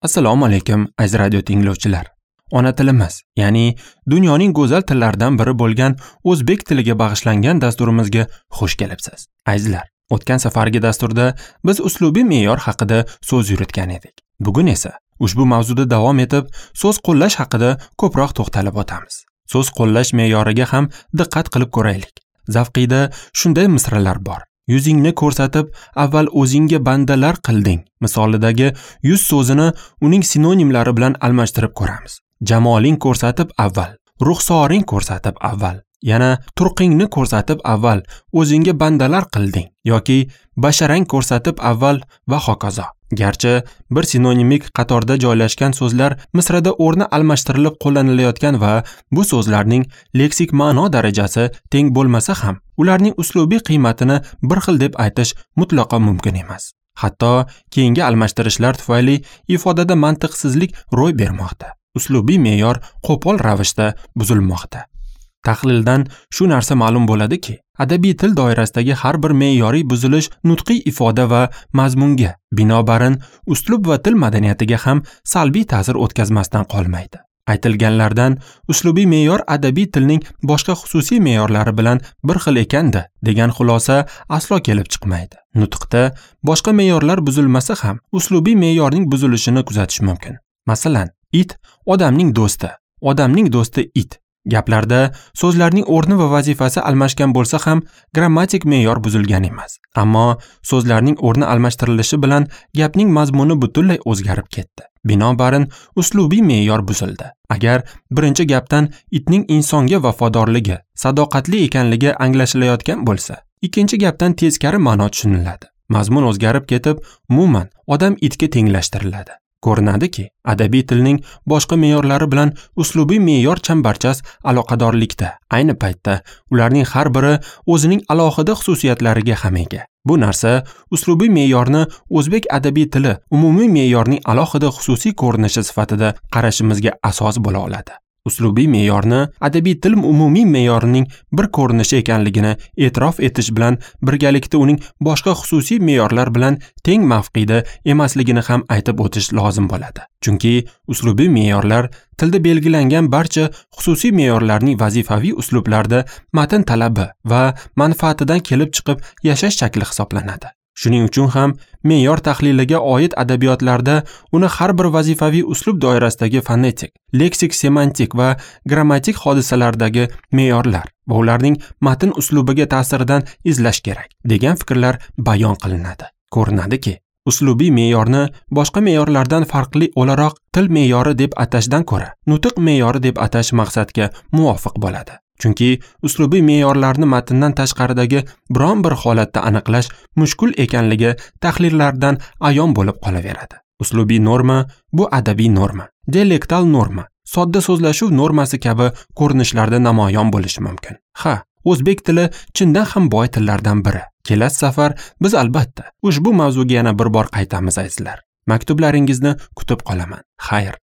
Assalomu alaykum, aziz radio tinglovchilar. Ona tilimiz, ya'ni dunyoning go'zal tillaridan biri bo'lgan o'zbek tiliga bag'ishlangan dasturimizga xush kelibsiz. Azizlar, o'tgan safargi dasturda biz uslubiy me'yor haqida so'z yuritgan edik. Bugun esa ushbu mavzuda davom etib, so'z qo'llash haqida ko'proq to'xtalib o'tamiz. So'z qo'llash me'yoriga ham diqqat qilib ko'raylik. Zavqiyda shunday misralar bor. Yuzingni ko'rsatib, avval o'zingga bandalar qilding misolidagi yuz so'zini uning sinonimlari bilan almashtirib ko'ramiz. Jamoling ko'rsatib avval, ruxsoring ko'rsatib avval, yana turqingni ko'rsatib avval o'zingga bandalar qilding yoki basharang ko'rsatib avval va hokazo. Garchi bir sinonimik qatorda joylashgan so'zlar misrada o'rni almashtirilib qo'llanilayotgan va bu so'zlarning leksik ma'no darajasi teng bo'lmasa ham, ularning uslubiy qiymatini bir xil deb aytish mutlaqo mumkin emas. Hatto keyingi almashtirishlar tufayli ifodada mantiqsizlik ro'y bermoqda. Uslubiy me'yor qo'pol ravishda buzilmoqda. Tahlildan shu narsa ma'lum bo'ladiki, adabiy til doirasidagi har bir me'yoriy buzilish nutqiy ifoda va mazmunga, binobarin uslub va til madaniyatiga ham salbiy ta'sir o'tkazmasdan qolmaydi. Aytilganlardan uslubiy me'yor adabiy tilning boshqa xususiy me'yorlari bilan bir xil ekanda degan xulosa aslo kelib chiqmaydi. Nutqda boshqa me'yorlar buzilmasa ham uslubiy me'yorning buzilishini kuzatish mumkin. Masalan, it odamning do'sti, odamning do'sti it. Gaplarda so'zlarning o'rni va vazifasi almashgan bo'lsa ham grammatik me'yor buzilgan emas. Ammo so'zlarning o'rni almashtirilishi bilan gapning mazmuni butunlay o'zgarib ketdi. Binobarin uslubiy me'yor buzildi. Agar birinchi gapdan itning insonga vafodorligi, sadoqatli ekanligi anglashilayotgan bo'lsa, ikkinchi gapdan teskari ma'no tushuniladi. Mazmun o'zgarib ketib, umuman odam itga tenglashtiriladi. Ko'rinadiki, adabiy tilning boshqa me'yorlari bilan uslubiy me'yor chambarchas aloqadorlikda. Ayni paytda ularning har biri o'zining alohida xususiyatlariga ham ega. Bu narsa uslubiy me'yorni o'zbek adabiy tili umumiy me'yorning alohida xususiy ko'rinishi sifatida qarashimizga asos bo'la oladi. Uslubiy me'yorni adabiy til umumiy me'yorining bir ko'rinishi ekanligini e'tirof etish bilan birgalikda uning boshqa xususiy me'yorlar bilan teng mavqeda emasligini ham aytib o'tish lozim bo'ladi. Chunki uslubiy me'yorlar tilda belgilangan barcha xususiy me'yorlarning vazifaviy uslublarda matn talabi va manfaatidan kelib chiqib yashash shakli hisoblanadi. Shuning uchun ham me'yor tahliliga oid adabiyotlarda uni har bir vazifaviy uslub doirasidagi fonetik, leksik, semantik va grammatik hodisalardagi me'yorlar va ularning matn uslubiga ta'siridan izlash kerak degan fikrlar bayon qilinadi. Ko'rinadiki, uslubiy me'yorni boshqa me'yorlardan farqli o'laroq til me'yori deb atashdan ko'ra, nutq me'yori deb atash maqsadga muvofiq bo'ladi. Chunki uslubiy me'yorlarni matndan tashqaridagi biron bir holatda aniqlash mushkul ekanligi tahlillardan ayon bo'lib qolaveradi. Uslubiy norma bu adabiy norma, dialektal norma, sodda so'zlashuv normasi kabi ko'rinishlarda namoyon bo'lishi mumkin. Ha, o'zbek tili chindan ham boy tillardan biri. Kelasi safar biz albatta ushbu mavzuga yana bir bor qaytamiz, azizlar. Maktublaringizni kutib qolaman. Xayr.